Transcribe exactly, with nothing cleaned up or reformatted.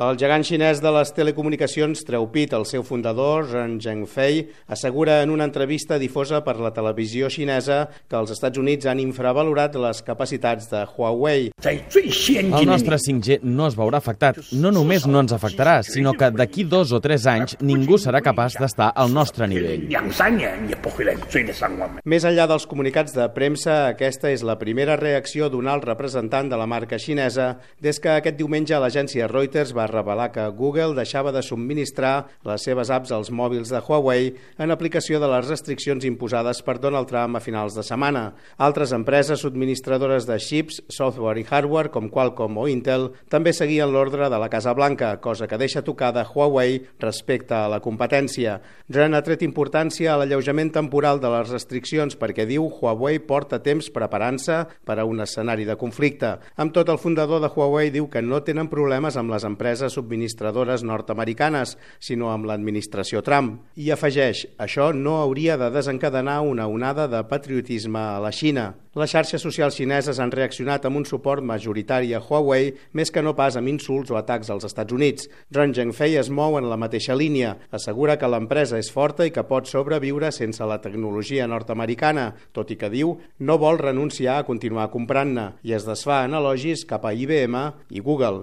El gegant xinès de les telecomunicacions treu pit. El seu fundador, Ren Zhengfei, assegura en una entrevista difosa per la televisió xinesa que els Estats Units han infravalorat les capacitats de Huawei. El nostre cinc G no es veurà afectat. No només no ens afectarà, sinó que d'aquí dos o tres anys ningú serà capaç d'estar al nostre nivell. Més enllà dels comunicats de premsa, aquesta és la primera reacció d'un alt representant de la marca xinesa des que aquest diumenge l'agència Reuters va revelar que Google deixava de subministrar les seves apps als mòbils de Huawei en aplicació de les restriccions imposades per Donald Trump a finals de setmana. Altres empreses subministradores de xips, software i hardware, com Qualcomm o Intel, també seguien l'ordre de la Casa Blanca, cosa que deixa tocada Huawei respecte a la competència. Ren ha tret importància a l'alleujament temporal de les restriccions perquè diu Huawei porta temps preparant-se per a un escenari de conflicte. Amb tot, el fundador de Huawei diu que no tenen problemes amb les empreses subministradores nord-americanes, sinó amb l'administració Trump. I afegeix, això no hauria de desencadenar una onada de patriotisme a la Xina. Les xarxes socials xineses han reaccionat amb un suport majoritari a Huawei, més que no pas amb insults o atacs als Estats Units. Ren Zhengfei es mou en la mateixa línia. Assegura que l'empresa és forta i que pot sobreviure sense la tecnologia nord-americana, tot i que diu no vol renunciar a continuar comprant-ne, i es desfà en elogis cap a I B M i Google.